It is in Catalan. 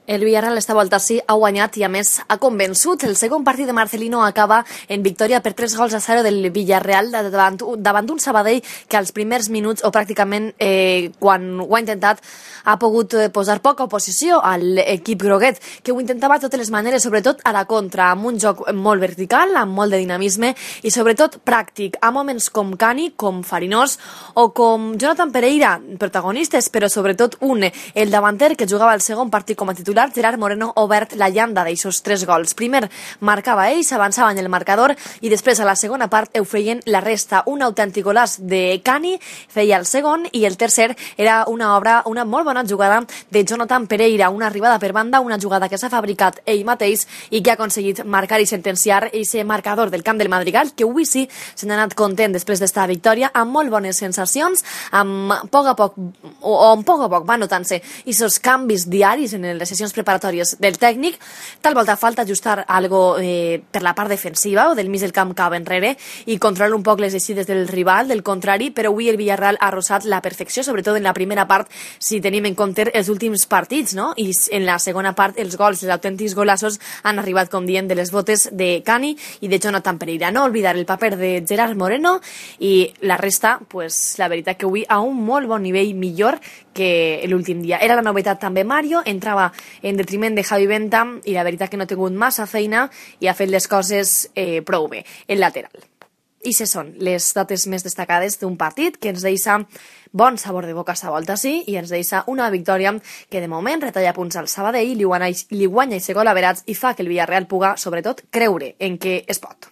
El Villarreal esta volta sí ha guanyat i a més ha convençut. El segon partit de Marcelino acaba en victòria per 3-0 del Villarreal davant d'un Sabadell que als primers minuts o pràcticament quan ho ha intentat ha pogut posar poca oposició a l'equip groguet, que ho intentava de totes les maneres, sobretot a la contra, amb un joc molt vertical, amb molt de dinamisme i sobretot pràctic, a moments com Cani, com Farinós o com Jonathan Pereira, protagonistes, però sobretot el davanter que jugava el segon partit com a titular, Gerard Moreno, obert la llanda d'aixos 3 gols. Primer marcava ells, avançaven el marcador i després a la segona part ho feien la resta. Un autèntic golaç de Cani feia el segon i el tercer era una molt bona jugada de Jonathan Pereira, una arribada per banda, una jugada que s'ha fabricat ell mateix i que ha aconseguit marcar i sentenciar aquest marcador del camp del Madrigal, que avui sí se n'ha anat content després d'esta victòria, amb molt bones sensacions, amb poc a poc va notant-se aquests canvis diaris en les sessions preparatòries del tècnic. Tal volta falta ajustar algo per la part defensiva o del mig del camp cap enrere i controlar un poc les eixides del rival, del contrari, però avui el Villarreal ha arrosat la perfecció, sobretot en la primera part, si tenim en compte els últims partits, no? I en la segona part els gols, els autèntics golassos han arribat, com diem, de les botes de Cani i de Jonathan Pereira. No oblidar el paper de Gerard Moreno i la resta, pues, la veritat que avui a un molt bon nivell, millor que l'últim dia. Era la novetat també Mario, entrava en detriment de Javi Venta i la veritat que no ha tingut massa feina i ha fet les coses prou bé, el lateral. I se són les dates més destacades d'un partit que ens deixa bon sabor de boca a volta sí i ens deixa una victòria que de moment retalla punts al Sabadell, li guanya i gol averats i fa que el Villarreal puga sobretot creure en què es pot.